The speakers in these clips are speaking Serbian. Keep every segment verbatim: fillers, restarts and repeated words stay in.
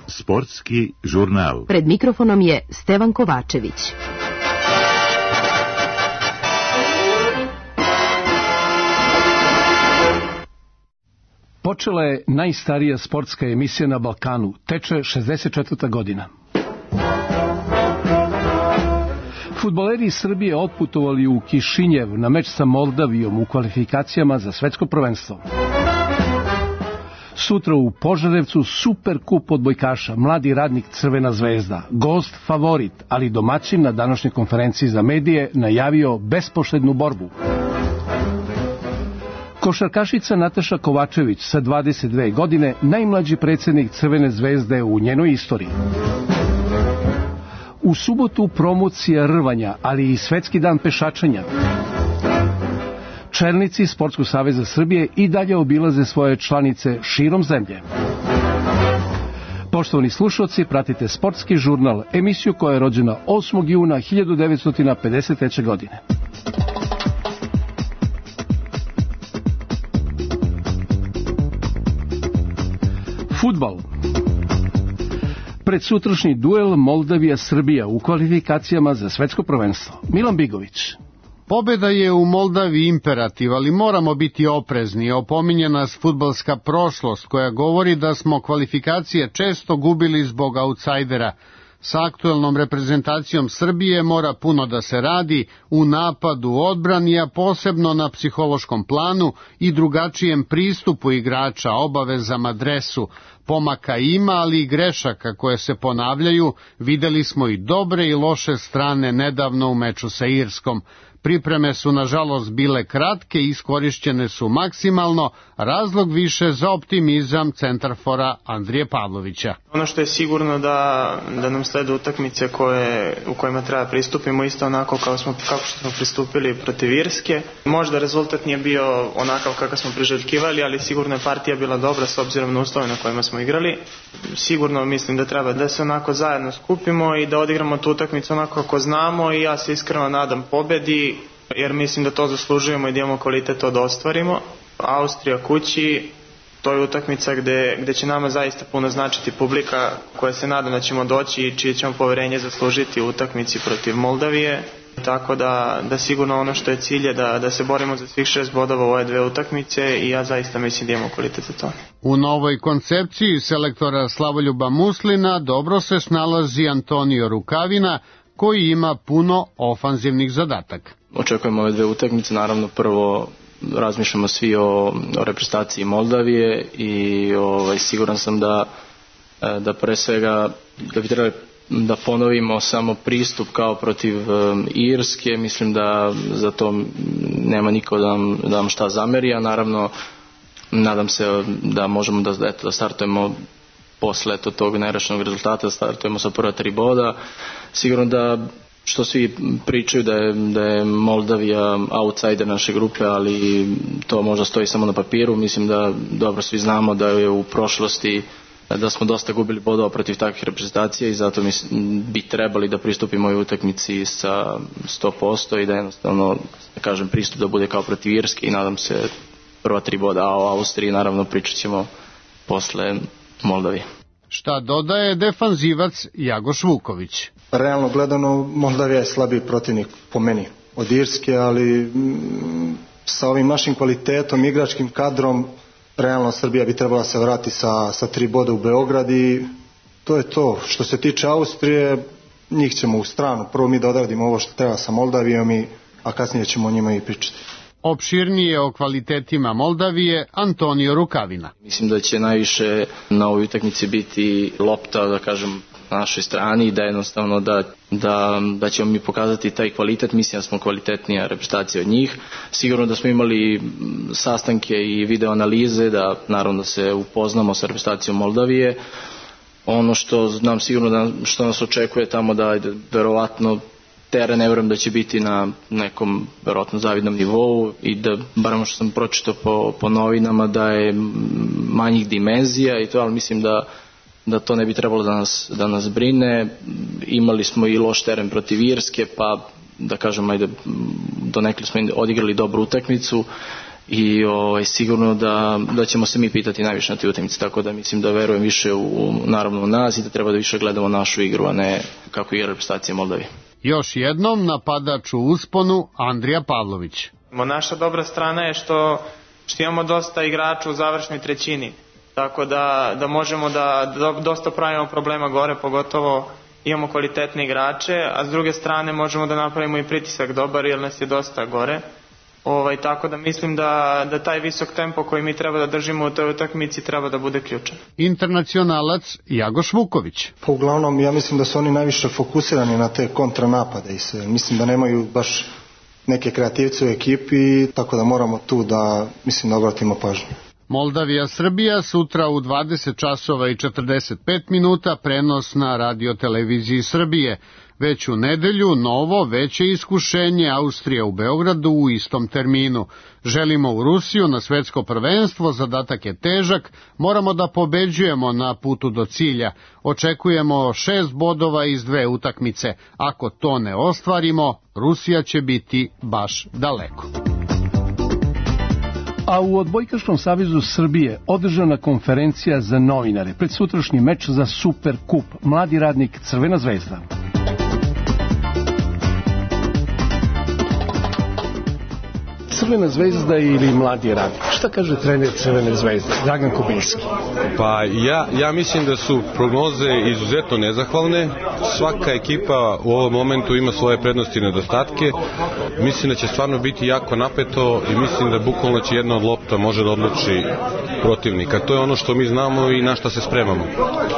Sportski žurnal. Pred mikrofonom je Stevan Kovačević. Počela je najstarija sportska emisija na Balkanu, teče šezdeset četvrta godina. Fudbaleri iz Srbije otputovali u Kišinjev na meč sa Moldavijom u kvalifikacijama za svetsko prvenstvo. Sutra u Požarevcu super kup odbojkaša, mladi radnik Crvena zvezda, gost favorit, ali domaćin na današnjoj konferenciji za medije najavio bespoštednu borbu. Košarkašica Nataša Kovačević sa dvadeset dve godine, najmlađi predsjednik Crvene zvezde u njenoj istoriji. U subotu promocija rvanja, ali i svetski dan pešačenja. Čelnici Sportskog saveza Srbije i dalje obilaze svoje članice širom zemlje. Poštovani slušalci, pratite Sportski žurnal, emisiju koja je rođena osmog juna hiljadu devetsto pedeset treće. godine. Fudbal. Predsutrašnji duel Moldavija-Srbija u kvalifikacijama za svetsko prvenstvo. Milan Bigović. Pobeda je u Moldaviji imperativ, ali moramo biti oprezni. Opominje nas fudbalska prošlost koja govori da smo kvalifikacije često gubili zbog autsajdera. Sa aktuelnom reprezentacijom Srbije mora puno da se radi u napadu, odbrani, a posebno na psihološkom planu i drugačijem pristupu igrača, obavezama, dresu. Pomaka ima, ali i grešaka koje se ponavljaju. Videli smo i dobre i loše strane nedavno u meču sa Irskom. Pripreme su nažalost bile kratke i iskorišćene su maksimalno, razlog više za optimizam centarfora Andrije Pavlovića. Ono što je sigurno da, da nam slede utakmice koje, u kojima treba pristupimo isto onako kao smo, kako smo pristupili protiv Irske. Možda rezultat nije bio onakav kakav smo priželjkivali, ali sigurno je partija bila dobra s obzirom na uslove na kojima smo igrali. Sigurno mislim da treba da se onako zajedno skupimo i da odigramo tu utakmicu onako kako znamo i ja se iskreno nadam pobedi, jer mislim da to zaslužujemo i da imamo kvalitet to da ostvarimo. Austrija kući, to je utakmica gde, gde će nama zaista puno značiti publika koja se nadam da ćemo doći i čije ćemo poverenje zaslužiti u utakmici protiv Moldavije. Tako da, da sigurno ono što je cilj je da, da se borimo za svih šest bodova u ove dve utakmice i ja zaista mislim da imamo kvalitet za to. U novoj koncepciji selektora Slavoljuba Muslina dobro se snalazi Antonio Rukavina, koji ima puno ofanzivnih zadataka. Očekujemo ove dve utakmice, naravno prvo razmišljamo svi o, o reprezentaciji Moldavije i ovaj, siguran sam da, da pre svega da bi trebali da ponovimo samo pristup kao protiv um, Irske. Mislim da za to nema niko da nam, da nam šta zameri, a naravno nadam se da možemo da, eto, da startujemo posle eto, tog nerešenog rezultata, da startujemo sa prva tri boda. Sigurno da što svi pričaju da je, da je Moldavija outsider naše grupe, ali to možda stoji samo na papiru. Mislim da dobro svi znamo da je u prošlosti da smo dosta gubili bodova protiv takvih reprezentacija i zato mislim, bi trebali da pristupimo ovoj utakmici sa sto posto i da jednostavno, da kažem, pristup da bude kao protiv Irske i nadam se prva tri boda, a o Austriji naravno pričat ćemo posle Moldavije. Šta dodaje defanzivac Jagoš Vuković? Realno gledano, Moldavija je slabiji protivnik po meni od Irske, ali m, sa ovim našim kvalitetom, igračkim kadrom, realno Srbija bi trebala se vrati sa, sa tri boda u Beograd i to je to. Što se tiče Austrije, njih ćemo u stranu. Prvo mi da odradimo ovo što treba sa Moldavijom, i, a kasnije ćemo o njima i pričati. Opširnije o kvalitetima Moldavije Antonio Rukavina. Mislim da će najviše na ovoj utakmici biti lopta, da kažem, na našoj strani i da jednostavno da, da, da ćemo mi pokazati taj kvalitet. Mislim da smo kvalitetnija reprezentacija od njih. Sigurno da smo imali sastanke i video analize, da naravno da se upoznamo sa reprezentacijom Moldavije. Ono što znam sigurno da, što nas očekuje tamo da verovatno teren, ne vjerujem da će biti na nekom verovatno zavidnom nivou i da, barem što sam pročitao po, po novinama, da je manjih dimenzija i to, ali mislim da da to ne bi trebalo da nas, da nas brine. Imali smo i loš teren protiv Irske, pa da kažem, ajde, donekle smo odigrali dobru utakmicu i ovaj, sigurno da, da ćemo se mi pitati najviše na te utakmice, tako da mislim da verujem više u, naravno u nas i da treba da više gledamo našu igru, a ne kako igra reprezentacija Moldavije. Još jednom napadač u usponu Andrija Pavlović. Naša dobra strana je što, što imamo dosta igrača u završnoj trećini, tako da, da možemo da, da dosta pravimo problema gore, pogotovo imamo kvalitetne igrače, a s druge strane možemo da napravimo i pritisak dobar jer nas je dosta gore. Ovaj, tako da mislim da, da taj visok tempo koji mi treba da držimo u toj utakmici treba da bude ključan. Internacionalac Jagoš Vuković. Pa uglavnom ja mislim da su oni najviše fokusirani na te kontranapade i sve. Mislim da nemaju baš neke kreativce u ekipi, tako da moramo tu da, mislim, da obratimo pažnju. Moldavija Srbija sutra u dvadeset časova i četrdeset pet minuta, prenos na radioteleviziji Srbije. Već u nedelju novo veće iskušenje, Austrija u Beogradu u istom terminu. Želimo u Rusiju na svetsko prvenstvo, zadatak je težak, moramo da pobeđujemo na putu do cilja. Očekujemo šest bodova iz dve utakmice. Ako to ne ostvarimo, Rusija će biti baš daleko. A u Odbojkaškom savezu Srbije održana konferencija za novinare pred sutrašnji meč za Super kup. Mladi radnik Crvena zvezda. Crvena zvezda ili mladi radnik? Šta kaže trener Crvene zvezde, Dragan Kubinski? Pa ja, ja mislim da su prognoze izuzetno nezahvalne. Svaka ekipa u ovom momentu ima svoje prednosti i nedostatke. Mislim da će stvarno biti jako napeto i mislim da bukvalno će jedna od lopta može da odluči protivnika. To je ono što mi znamo i na šta se spremamo.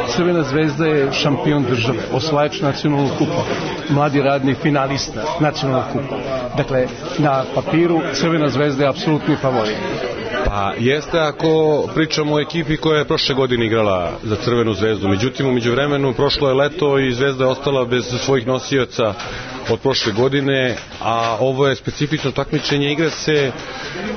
Crvena zvezda je šampion države, osvajač nacionalnog kupa, mladi radnik finalista nacionalnog kupa. Dakle, na papiru Crvena zvezda je apsolutni favorit. Pa jeste ako pričamo o ekipi koja je prošle godine igrala za Crvenu zvezdu. Međutim, u međuvremenu prošlo je leto i Zvezda je ostala bez svojih nosioca od prošle godine, a ovo je specifično takmičenje, igra se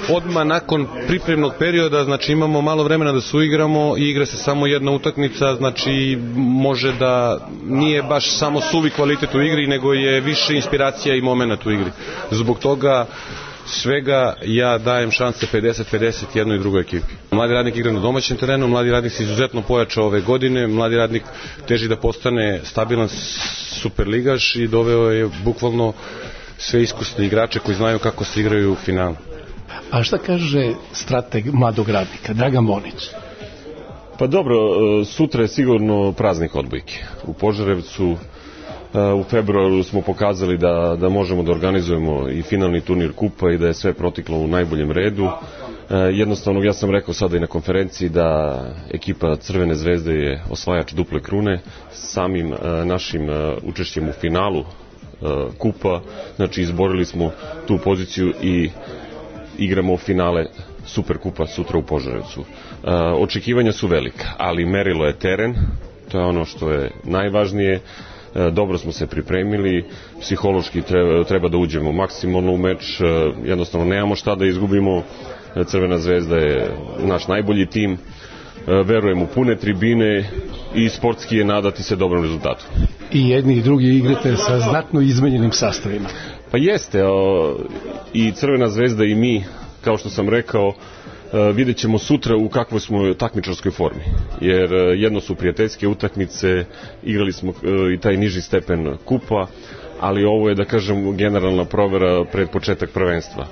odmah nakon pripremnog perioda, znači imamo malo vremena da se uigramo i igra se samo jedna utakmica, znači može da nije baš samo suvi kvalitet u igri, nego je više inspiracija i momenat u igri. Zbog toga svega ja dajem šanse pedeset pedeset jednoj i drugoj ekipi. Mladi radnik igra na domaćem terenu, mladi radnik se izuzetno pojačao ove godine, mladi radnik teži da postane stabilan superligaš i doveo je bukvalno sve iskusne igrače koji znaju kako se igraju u finalu. A šta kaže strateg mladog radnika, Dragan Bonić? Pa dobro, sutra je sigurno praznik odbojke. U Požarevcu u februaru smo pokazali da, da možemo da organizujemo i finalni turnir kupa i da je sve protiklo u najboljem redu. Jednostavno, ja sam rekao sada i na konferenciji da ekipa Crvene zvezde je osvajač duple krune. Samim našim učešćem u finalu kupa, znači izborili smo tu poziciju i igramo finale Superkupa sutra u Požarevcu. Očekivanja su velika, ali merilo je teren, to je ono što je najvažnije. Dobro smo se pripremili, psihološki treba, treba da uđemo maksimalno u meč, jednostavno nemamo šta da izgubimo, Crvena zvezda je naš najbolji tim, verujem u pune tribine i sportski je nadati se dobrom rezultatu. I jedni i drugi igrate sa znatno izmenjenim sastavima. Pa jeste, i Crvena zvezda i mi, kao što sam rekao, vidjet ćemo sutra u kakvoj smo takmičarskoj formi, jer jedno su prijateljske utakmice, igrali smo i taj niži stepen kupa, ali ovo je, da kažem, generalna provera pred početak prvenstva.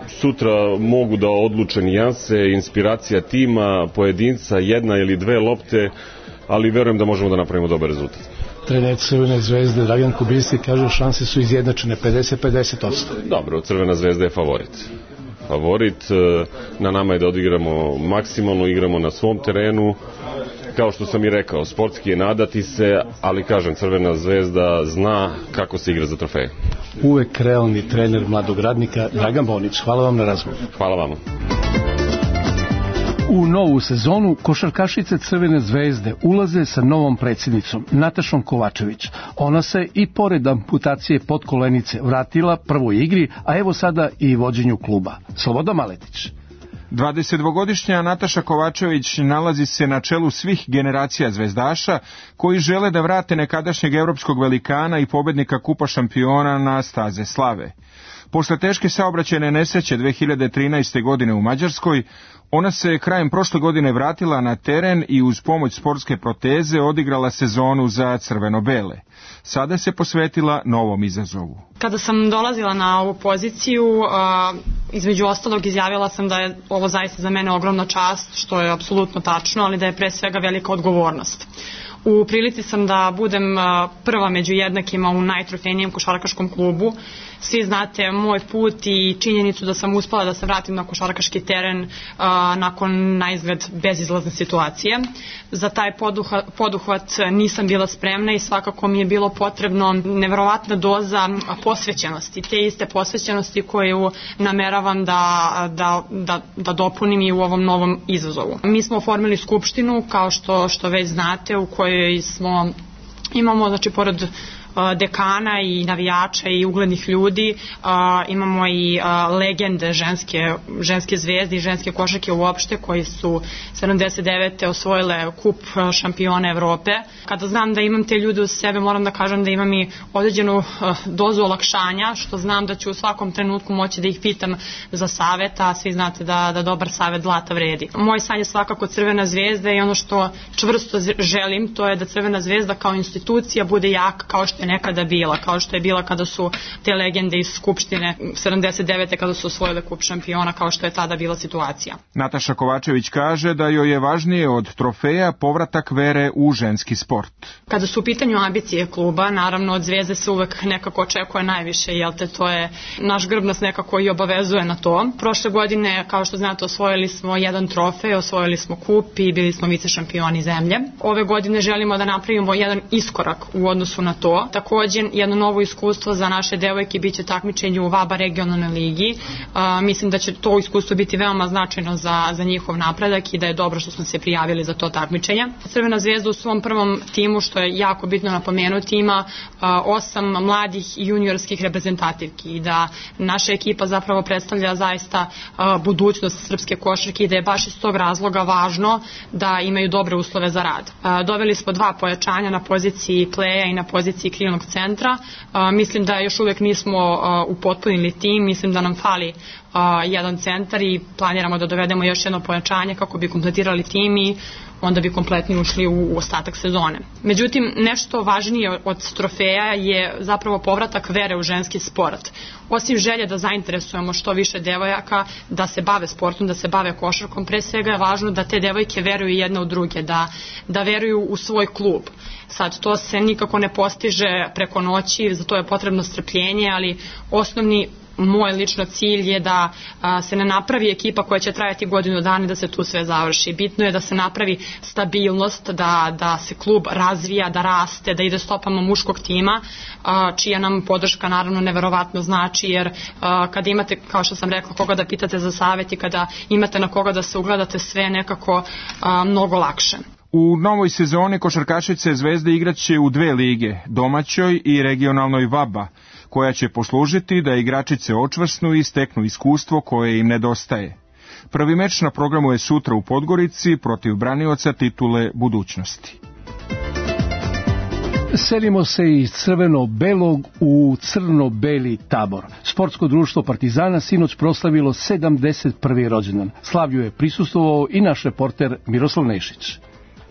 Sutra mogu da odluče nijanse, inspiracija tima, pojedinca, jedna ili dve lopte, ali verujem da možemo da napravimo dobar rezultat. Trener Crvene zvezde Dragan Kubinski kaže šanse su izjednačene pedeset pedeset odsto. Dobro, Crvena zvezda je favorit. Favorit, na nama je da odigramo maksimalno, igramo na svom terenu, kao što sam i rekao, sportski je nadati se, ali kažem, Crvena zvezda zna kako se igra za trofeje. Uvek realni trener mladog radnika Dragan Bonić, hvala vam na razgovoru. Hvala vama. U novu sezonu košarkašice Crvene zvezde ulaze sa novom predsjednicom Natašom Kovačević. Ona se i pored amputacije podkolenice vratila prvoj igri, a evo sada i vođenju kluba. Slobodan Maletić. dvadesetdvogodišnja Nataša Kovačević nalazi se na čelu svih generacija zvezdaša koji žele da vrate nekadašnjeg evropskog velikana i pobednika Kupa šampiona na staze slave. Posle teške saobraćajne nesreće dve hiljade trinaeste. godine u Mađarskoj, ona se krajem prošle godine vratila na teren i uz pomoć sportske proteze odigrala sezonu za crveno-bele. Sada se posvetila novom izazovu. Kada sam dolazila na ovu poziciju, između ostalog izjavila sam da je ovo zaista za mene ogromna čast, što je apsolutno tačno, ali da je pre svega velika odgovornost. U prilici sam da budem prva među jednakima u najtrofejnijem košarkaškom klubu. Svi znate moj put i činjenicu da sam uspela da se vratim na košarkaški teren a, nakon naizgled bezizlazne situacije. Za taj poduhvat, poduhvat nisam bila spremna i svakako mi je bilo potrebno neverovatna doza posvećenosti. Te iste posvećenosti koju nameravam da, da, da, da dopunim i u ovom novom izazovu. Mi smo oformili skupštinu, kao što, što već znate, u kojoj smo, imamo, znači, pored dekana i navijača i uglednih ljudi, a, imamo i a, legende ženske, ženske zvezde i ženske košarke uopšte, koji su sedamdeset devete osvojile kup šampiona Evrope. Kada znam da imam te ljude uz sebe, moram da kažem da imam i određenu a, dozu olakšanja, što znam da ću u svakom trenutku moći da ih pitam za savet, a svi znate da, da dobar savet zlata vredi. Moj san je svakako Crvena zvezda i ono što čvrsto želim, to je da Crvena zvezda kao institucija bude jaka kao što je nekada bila, kao što je bila kada su te legende iz Skupštine sedamdeset devete kada su osvojile kup šampiona, kao što je tada bila situacija. Nataša Kovačević kaže da joj je važnije od trofeja povratak vere u ženski sport. Kada su u pitanju ambicije kluba, naravno od Zvezde se uvek nekako očekuje najviše, jel te, to je naš grb nas nekako i obavezuje na to. Prošle godine, kao što znate, osvojili smo jedan trofej, osvojili smo kup i bili smo vice šampioni zemlje. Ove godine želimo da napravimo jedan iskorak u odnosu na to. Također, jedno novo iskustvo za naše devojke biće takmičenje u VABA regionalnoj ligi. A, mislim da će to iskustvo biti veoma značajno za, za njihov napredak i da je dobro što smo se prijavili za to takmičenje. Crvena zvezda u svom prvom timu, što je jako bitno napomenuti, ima a, osam mladih i juniorskih reprezentativki i da naša ekipa zapravo predstavlja zaista a, budućnost srpske košarke i da je baš iz tog razloga važno da imaju dobre uslove za rad. A, doveli smo dva pojačanja na poziciji pleja i na poziciji krilnog centra. A, mislim da još uvek nismo a, upotpunili tim, mislim da nam fali a, jedan centar i planiramo da dovedemo još jedno pojačanje kako bi kompletirali tim i onda bi kompletni ušli u, u ostatak sezone. Međutim, nešto važnije od trofeja je zapravo povratak vere u ženski sport. Osim želje da zainteresujemo što više devojaka da se bave sportom, da se bave košarkom, pre svega je važno da te devojke veruju jedne u druge, da, da veruju u svoj klub. Sad, to se nikako ne postiže preko noći, za to je potrebno strpljenje, ali osnovni moj lično cilj je da a, se ne napravi ekipa koja će trajati godinu dana i da se tu sve završi. Bitno je da se napravi stabilnost, da, da se klub razvija, da raste, da ide stopama muškog tima, a, čija nam podrška naravno neverovatno znači, jer a, kada imate, kao što sam rekla, koga da pitate za savjet i kada imate na koga da se ugledate, sve nekako a, mnogo lakše. U novoj sezoni košarkašice Zvezde igraće u dve lige, domaćoj i regionalnoj VABA, koja će poslužiti da igračice očvrsnu i steknu iskustvo koje im nedostaje. Prvi meč na programu je sutra u Podgorici protiv branioca titule budućnosti. Selimo se iz crveno-belog u crno-beli Tabor. Sportsko društvo Partizana sinoć proslavilo sedamdeset prvi rođendan. Slavlju je prisustvovao i naš reporter Miroslav Nešić.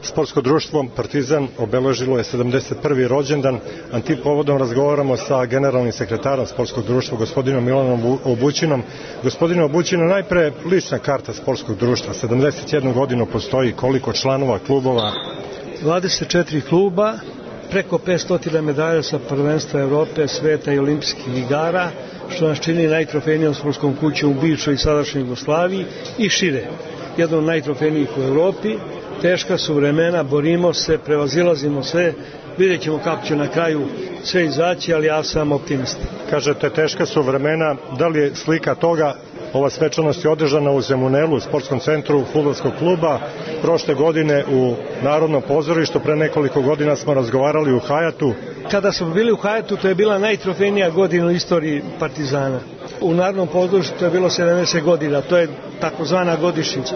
Sportsko društvo Partizan obeležilo je sedamdeset prvi rođendan, a tim povodom razgovaramo sa generalnim sekretarom sportskog društva, gospodinom Milanom Obućinom. Gospodine Obućina, najpre lična karta sportskog društva, sedamdeset jednu godinu postoji, koliko članova, klubova? dvadeset četiri kluba, preko petsto medalja sa prvenstva Evrope, sveta i olimpijskih igara, što nas čini najtrofejnijom sportskom kućom u bivšoj i sadašnjoj Jugoslaviji i šire. Jedno od najtrofejnijih u Evropi. Teška su vremena, borimo se, prevazilazimo sve, vidjet ćemo kako će na kraju sve izaći, ali ja sam optimista. Kažete, teška su vremena, da li je slika toga? Ova svečanost je održana u Zemunelu, u sportskom centru fudbalskog kluba, prošle godine u Narodnom pozorištu, pre nekoliko godina smo razgovarali u Hajatu. Kada smo bili u Hajatu, to je bila najtrofejnija godina u istoriji Partizana. U Narodnom pozorištu to je bilo sedamdeset godina, to je takozvana godišnjica.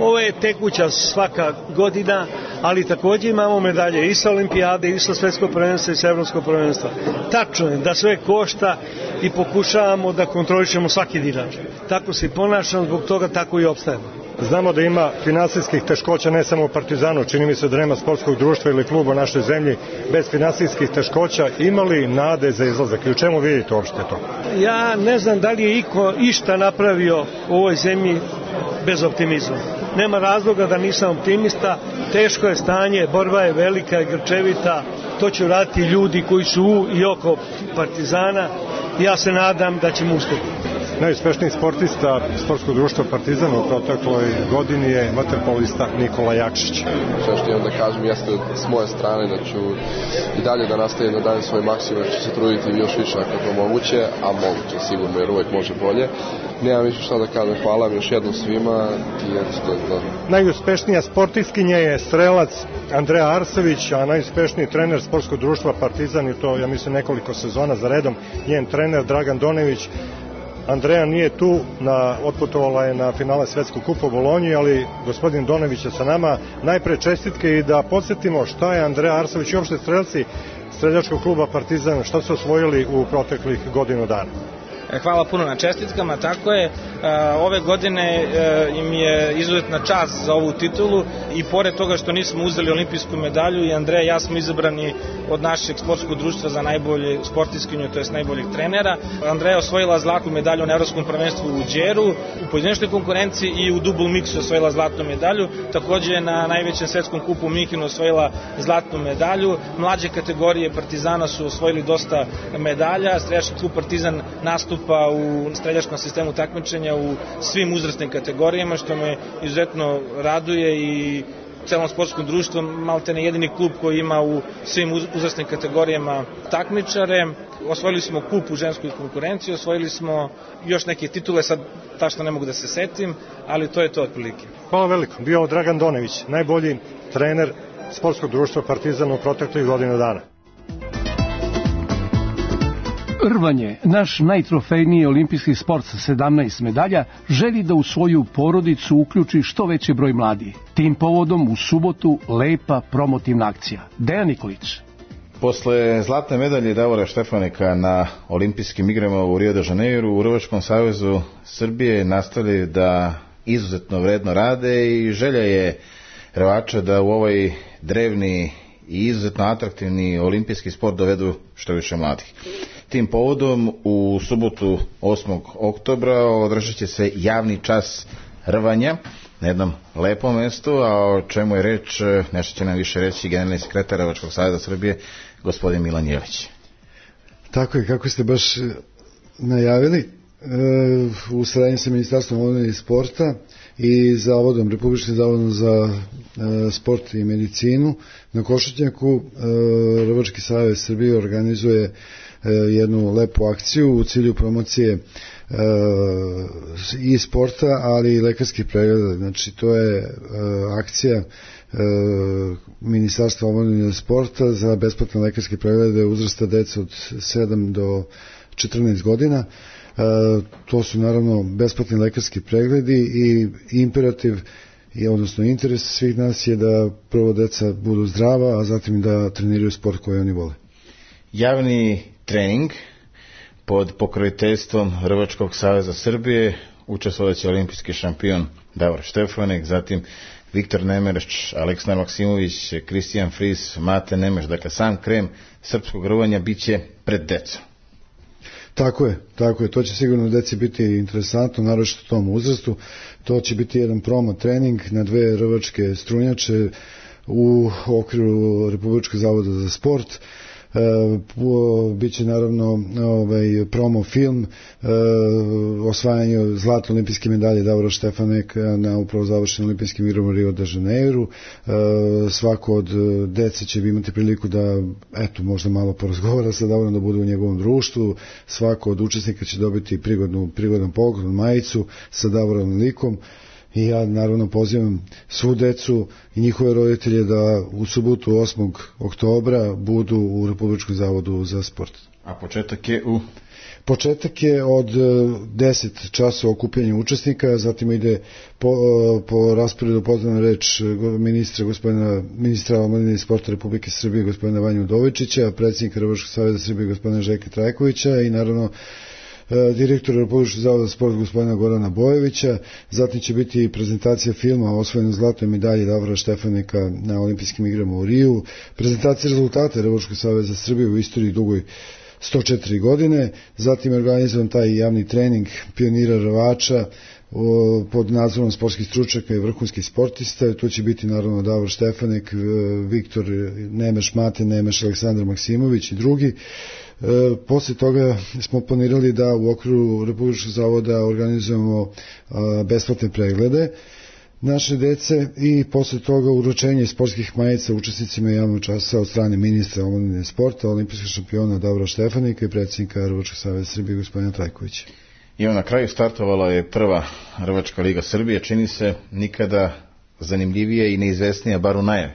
Ovo je tekuća svaka godina, ali također imamo medalje i sa olimpijade, i sa svetskog prvenstva, i sa evropskog prvenstva. Tačno je da sve košta i pokušavamo da kontrolišemo svaki dinar. Tako se i ponašamo, zbog toga tako i opstajemo. Znamo da ima finansijskih teškoća ne samo u Partizanu, čini mi se da nema sportskog društva ili kluba u našoj zemlji bez finansijskih teškoća. Ima li nade za izlazak i u čemu vidite uopšte to? Ja ne znam da li je iko išta napravio u ovoj zemlji bez optimizma. Nema razloga da nisam optimista, teško je stanje, borba je velika i grčevita, to će raditi ljudi koji su u i oko Partizana. Ja se nadam da ćemo uspjeti. Najuspešniji sportista sportskog društva Partizan u protekloj godini je vaterpolista Nikola Jakšić. Sve što imam da kažem jeste s moje strane da ću i dalje da nastavim da dajem svoj maksimum, da ću se truditi još više ako je to moguće, a moguće sigurno jer uvijek može bolje. Nemam više šta da kažem, hvala vam još jednom svima i eto to je to. Najuspešnija sportistkinja je strelac Andreja Arsović, a najuspešniji trener sportskog društva Partizan i to ja mislim nekoliko sezona za redom, njen trener Dragan Donević. Andreja nije tu, na, otputovala je na finale Svetskog kupa u Bolonji, ali gospodin Donević je sa nama. Najpre čestitke i da podsjetimo šta je Andreja Arsović i uopšte strelci streljačkog kluba Partizan, šta su osvojili u proteklih godinu dana. Hvala puno na čestitkama, tako je. Ove godine im je izuzetna čast za ovu titulu i pored toga što nismo uzeli olimpijsku medalju i Andreja i ja smo izabrani od našeg sportskog društva za najbolje sportistkinju, to jest najboljeg trenera. Andreja osvojila zlatnu medalju na evropskom prvenstvu u Đeru, u pojedinačnoj konkurenciji i u double mixu osvojila zlatnu medalju. Također na najvećem svetskom kupu u Minhenu osvojila zlatnu medalju. Mlađe kategorije Partizana su osvojili dosta medalja. Streljački klub Partizan nastup pa u streljačkom sistemu takmičenja u svim uzrasnim kategorijama, što me izuzetno raduje i celom sportskom društvu maltene jedini klub koji ima u svim uzrasnim kategorijama takmičare. Osvojili smo kup u ženskoj konkurenciji, osvojili smo još neke titule, sad tačno ne mogu da se setim, ali to je to otprilike. Hvala veliko. Bio Dragan Donević, najbolji trener sportskog društva Partizan u proteklih godinu dana. Rvanje, naš najtrofejniji olimpijski sport sa sedamnaest medalja, želi da u svoju porodicu uključi što veći broj mladih. Tim povodom u subotu lepa promotivna akcija. Dejan Nikolić. Posle zlatne medalje Davora Štefanika na olimpijskim igrama u Rio de Janeiru, u Rvačkom savezu Srbije nastavljaju da izuzetno vredno rade i želja je Rvača da u ovaj drevni i izuzetno atraktivni olimpijski sport dovedu što više mladih. Tim povodom u subotu osmog oktobra održat će se javni čas rvanja na jednom lepom mestu, a o čemu je reč, nešto će nam više reći generalni sekretar Rvačkog saveza Srbije, gospodin Milan Jelić. Tako je, kako ste baš najavili, u saradnji sa Ministarstvom omladine i sporta i Zavodom, Republičkim zavodom za sport i medicinu na Košutnjaku, Rvački savez Srbije organizuje jednu lepu akciju u cilju promocije i sporta, ali i lekarskih pregleda. Znači, to je akcija Ministarstva omladine i sporta za besplatne lekarske preglede uzrasta dece od sedam do četrnaest godina. To su naravno besplatni lekarski pregledi i imperativ, odnosno interes svih nas je da prvo deca budu zdrava, a zatim da treniraju sport koji oni vole. Javni trening pod pokroviteljstvom Rvačkog saveza Srbije učestvovaće olimpijski šampion Davor Štefanik, zatim Viktor Nemeš, Aleksandar Maksimović, Kristijan Fris, Mate Nemeš. Dakle, sam krem srpskog rvanja bit će pred decom. Tako je, tako je, to će sigurno deci biti interesantno, naročito u tom uzrastu. To će biti jedan promo trening na dve rvačke strunjače u okviru Republičkog zavoda za sport. E, biće naravno ovaj, promo film e, osvajanje zlatne olimpijske medalje Davora Štefanika na upravo završenim olimpijskim igrama u Rio de Janeiru. E, svako od dece će imati priliku da eto možda malo porazgovara sa Davorom, da bude u njegovom društvu. Svako od učesnika će dobiti prigodnu, prigodan pogled, majicu sa Davorom likom. I ja naravno pozivam svu decu i njihove roditelje da u subotu osmog oktobra budu u Republičkom zavodu za sport. A početak je u? Početak je od deset časova okupljanja učesnika, zatim ide po, po rasporedu pozdravna reč ministra, gospodina, ministra omladine i sporta Republike Srbije, gospodina Vanju Udovičića, predsjednika Rvačkog saveza Srbije, gospodina Željka Trajkovića i naravno direktora Republičkog zavoda za sport gospodina Gorana Bojevića. Zatim će biti prezentacija filma o osvojenoj zlatnoj medalji Davora Štefanika na olimpijskim igrama u Riju, prezentacija rezultata Republičkog saveza Srbije u istoriji dugoj sto četiri godine, zatim je organizovan taj javni trening pionira rvača pod nadzorom sportskih stručnjaka i vrhunskih sportista. Tu će biti naravno Davor Štefanik, Viktor Nemeš Mate, Nemeš Aleksandar Maksimović i drugi. E, posle toga smo planirali da u okviru Republičkog zavoda organizujemo a, besplatne preglede naše dece i posle toga uručenje sportskih majica učesnicima javnog časa od strane ministra omladine sporta, olimpijskog šampiona Davora Štefanika i predsjednika Rvačkog saveza Srbije gospodina Trajkovića. I na kraju startovala je prva Rvačka liga Srbije, čini se nikada zanimljivije i neizvesnija, bar u najavi.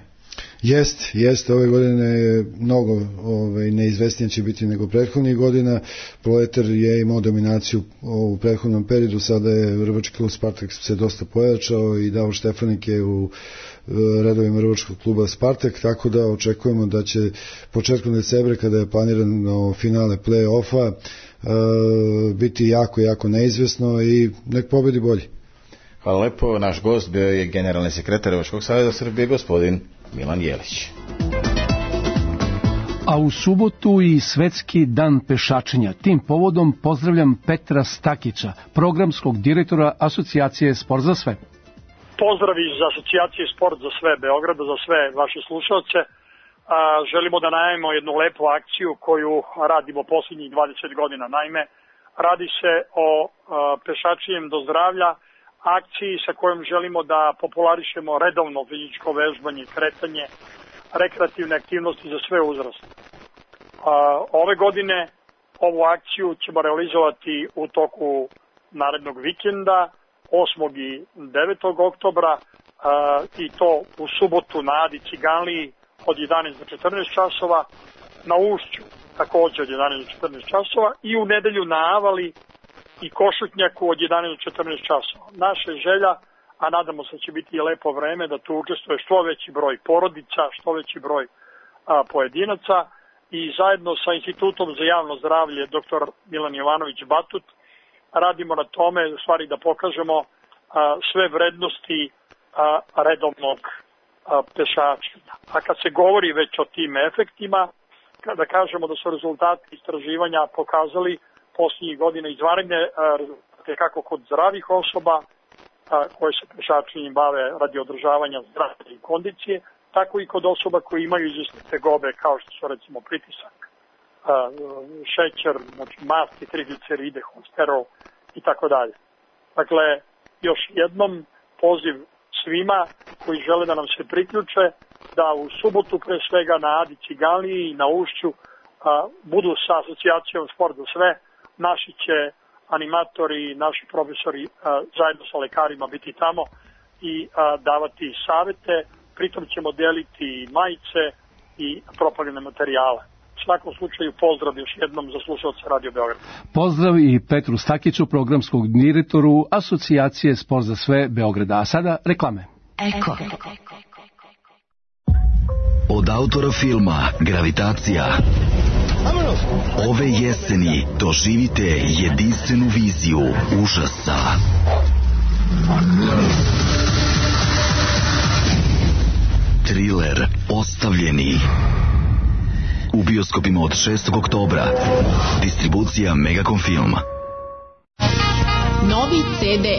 Jest, jest, ove godine je mnogo ove, neizvesnije će biti nego prethodnih godina. Proletar je imao dominaciju u prethodnom periodu, sada je Rvački klub Spartak se dosta pojačao i Davor Štefanik je u redovima Rvačkog kluba Spartak, tako da očekujemo da će početkom decembra, kada je planirano finale play-offa, biti jako, jako neizvesno i nek pobedi bolji. Hvala lepo, naš gost bio je generalni sekretar Rvačkog saveza Srbije, gospodin Milan Jelić. A u subotu i svetski dan pešačenja. Tim povodom pozdravljam Petra Stakića, programskog direktora Asocijacije Sport za sve. Pozdrav iz Asocijacije Sport za sve Beograda, za sve vaše slušalce. A, želimo da najavimo jednu lepu akciju koju radimo posljednjih dvadeset godina. Naime, radi se o a, pešačenjem do zdravlja, akciji sa kojom želimo da popularišemo redovno fizičko vežbanje, kretanje, rekreativne aktivnosti za sve uzraste. Ove godine ovu akciju ćemo realizovati u toku narednog vikenda, osmog i devetog oktobra, i to u subotu na Adi Ciganliji od jedanaest do četrnaest časova, na Ušću također od jedanaest do četrnaest časova i u nedelju na Avali i Košutnjaku od jedanaest do četrnaest časova. Naša želja, a nadamo se da će biti i lepo vreme, da tu učestvuje što veći broj porodica, što veći broj a, pojedinaca i zajedno sa Institutom za javno zdravlje dr Milan Jovanović Batut radimo na tome, u stvari da pokažemo a, sve vrednosti a, redovnog a, pešačenja. A kad se govori već o tim efektima, kada kažemo da su rezultati istraživanja pokazali posljednjih godina izvanredne rezultate kako kod zdravih osoba a, koje se pešačenjem bave radi održavanja zdravlja i kondicije, tako i kod osoba koji imaju izvesne tegobe kao što su recimo pritisak, a, šećer, znači masti, trigliceride, holesterol i tako dalje. Dakle, još jednom poziv svima koji žele da nam se priključe da u subotu pre svega na Adi Ciganliji i na Ušću a, budu sa Asocijacijom Sport za sve. Naši će animatori i naši profesori a, zajedno sa lekarima biti tamo i a, davati savete, pritom ćemo deliti majice i propagandne materijale. U svakom slučaju pozdrav još jednom za slušalce Radio Beograd. Pozdrav i Petru Stakiću, programskog direktoru Asocijacije Sport za sve Beograda. A sada reklame. Eko. Od autora filma Gravitacija ove jeseni doživite jedinstvenu viziju užasa. Triler Ostavljeni. U bioskopima od šestog oktobra. Distribucija Megacom Film. Novi ce de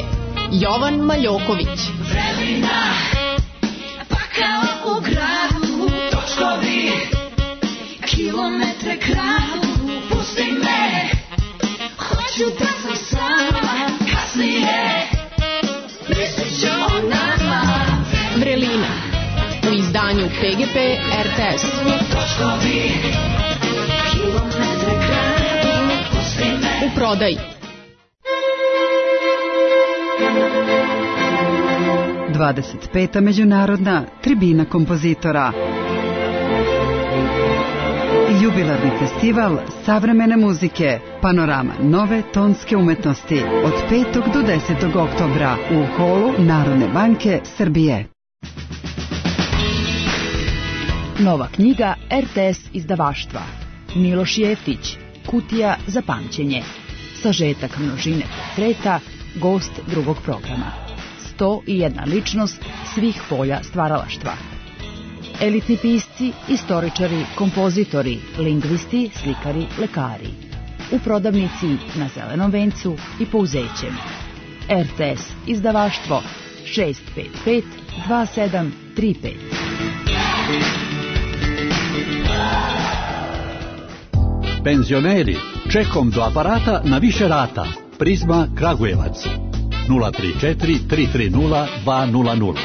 Jovan Maljoković. Vremena, pakao u gradu, točkovi, kilometre kradu, pusti me, hoću da sam sama, kasnije, mislit ću o nama. Vrelina, u izdanju pe ge pe er te es. Točkovi, kilometre kradu, pusti me. U prodaji. dvadeset peta međunarodna tribina kompozitora. jubilarni festival savremene muzike Panorama nove tonske umetnosti od petog do desetog oktobra u holu Narodne banke Srbije. Nova knjiga R T S izdavaštva. Miloš Jeftić, Kutija za pamćenje. Sažetak množine portreta, gost drugog programa. sto i jedna ličnost svih polja stvaralaštva. Elitni pisci, istoričari, kompozitori, lingvisti, slikari, lekari. U prodavnici na Zelenom vencu i Pouzećem. R T S izdavaštvo šest pet pet dva sedam tri pet. Penzioneri, čekom do aparata na više rata. Prizma Kragujevac. nula tri četiri tri tri nula dva nula nula.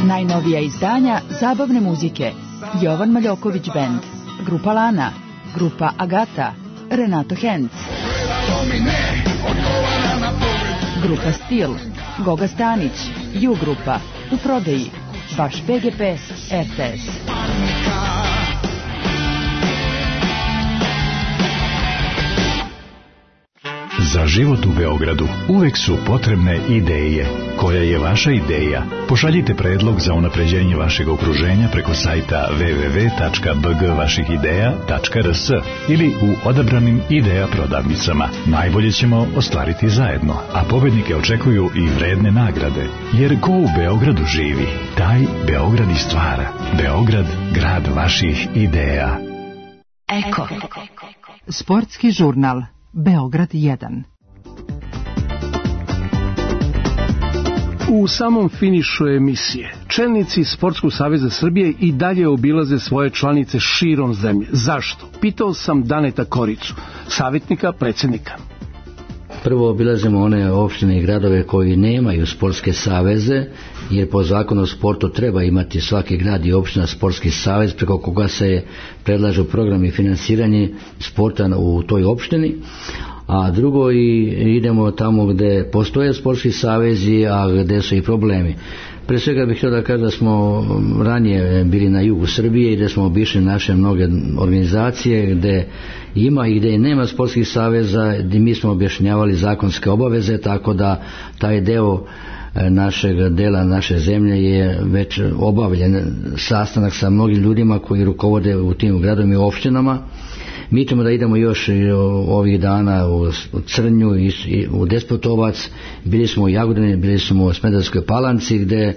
Najnovija izdanja zabavne muzike. Jovan Maljoković Band, Grupa Lana, Grupa Agata, Renato Henc, Grupa Stil, Goga Stanić, Ju Grupa, u prodaji, Baš P G P, R T S. Za život u Beogradu uvek su potrebne ideje. Koja je vaša ideja? Pošaljite predlog za unapređenje vašeg okruženja preko sajta w w w tačka b g vaših ideja tačka r s ili u odabranim ideja prodavnicama. Najbolje ćemo ostvariti zajedno, a pobednike očekuju i vredne nagrade. Jer ko u Beogradu živi, taj Beograd i stvara. Beograd, grad vaših ideja. Eko. Sportski žurnal Beograd jedan. U samom finišu emisije čelnici Sportskog saveza Srbije i dalje obilaze svoje članice širom zemlje. Zašto? Pitao sam Daneta Koricu, savjetnika predsjednika. Prvo obilazimo one opštine i gradove koji nemaju sportske saveze, jer po zakonu o sportu treba imati svaki grad i opština sportski savez preko koga se predlažu program i finansiranje sporta u toj opštini. A drugo, i idemo tamo gde postoje sportski savezi, a gde su i problemi. Pre svega bih htio da kažem da smo ranije bili na jugu Srbije i da smo obišli naše mnoge organizacije gde ima i gde nema sportskih saveza, gde mi smo objašnjavali zakonske obaveze, tako da taj deo našeg dela naše zemlje je već obavljen sastanak sa mnogim ljudima koji rukovode u tim gradovima i opštinama. Mi ćemo da idemo još ovih dana u Crnju, u Despotovac, bili smo u Jagodini, bili smo u Smederevskoj Palanci, gde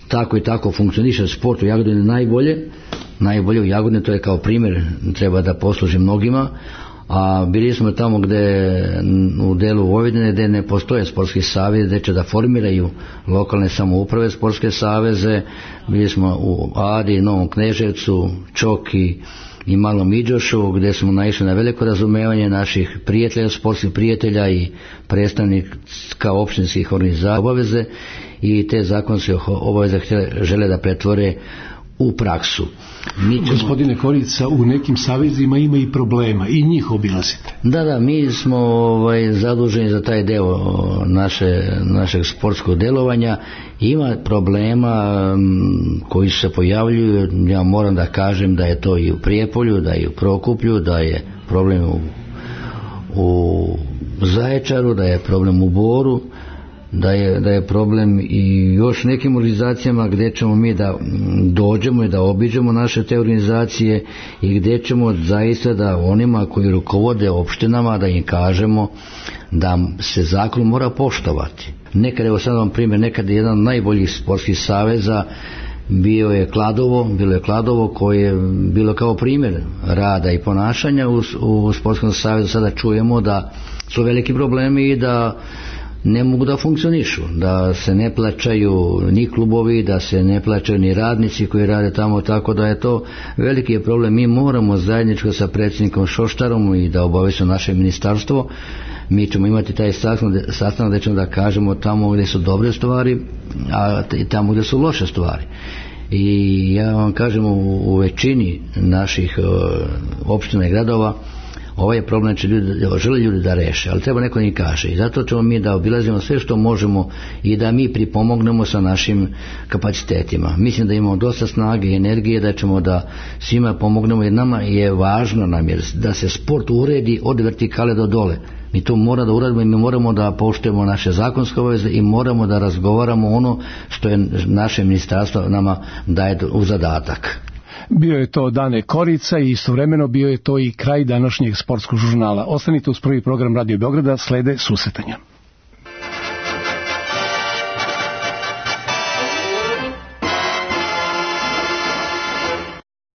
tako i tako funkcioniše sport u Jagodini najbolje. Najbolje u Jagodini, to je kao primjer, treba da posluži mnogima. A bili smo tamo gde u delu Vojvodine gde ne postoje sportski savez, gde će da formiraju lokalne samouprave sportske saveze. Bili smo u Adi, Novom Kneževcu, Čoki i Malom Iđošu, gde smo naišli na veliko razumevanje naših prijatelja, sportskih prijatelja i predstavnika opštinskih organizacija obaveze, i te zakonske obaveze žele da pretvore u praksu. Mi ćemo... Gospodine Korica, u nekim savezima ima i problema i njih obilazite. Da, da, mi smo ovaj, zaduženi za taj deo naše, našeg sportskog delovanja. Ima problema m, koji se pojavljuju. Ja moram da kažem da je to i u Prijepolju, da je u Prokuplju, da je problem u, u Zaječaru, da je problem u Boru, da je, da je problem i još nekim organizacijama gdje ćemo mi da dođemo i da obiđemo naše te organizacije i gdje ćemo zaista da onima koji rukovode opštinama da im kažemo da se zakon mora poštovati. Nekad, evo sad vam primjer, nekad je jedan od najboljih sportskih saveza bio je Kladovo, bilo je Kladovo koje je bilo kao primjer rada i ponašanja u, u sportskom savezu. Sada čujemo da su veliki problemi i da ne mogu da funkcionišu, da se ne plaćaju ni klubovi, da se ne plaćaju ni radnici koji rade tamo, tako da je to veliki je problem. Mi moramo zajedničko sa predsjednikom Šoštarom i da obavestimo naše ministarstvo. Mi ćemo imati taj sastanak gdje ćemo da kažemo tamo gdje su dobre stvari, a tamo gdje su loše stvari. I ja vam kažem, u, u većini naših uh, opština i gradova ovaj problem će ljudi, žele ljudi da reše, ali treba neko im kaže. I zato ćemo mi da obilazimo sve što možemo i da mi pripomognemo sa našim kapacitetima. Mislim da imamo dosta snage i energije, da ćemo da svima pomognemo, jer nama je važno nam jer da se sport uredi od vertikale do dole. Mi to moramo da uradimo i mi moramo da poštujemo naše zakonske obaveze i moramo da razgovaramo ono što je naše ministarstvo nama daje u zadatak. Bio je to Dane Korica i istovremeno bio je to i kraj današnjeg sportskog žurnala. Ostanite uz prvi program Radio Beograda, slede susretanja.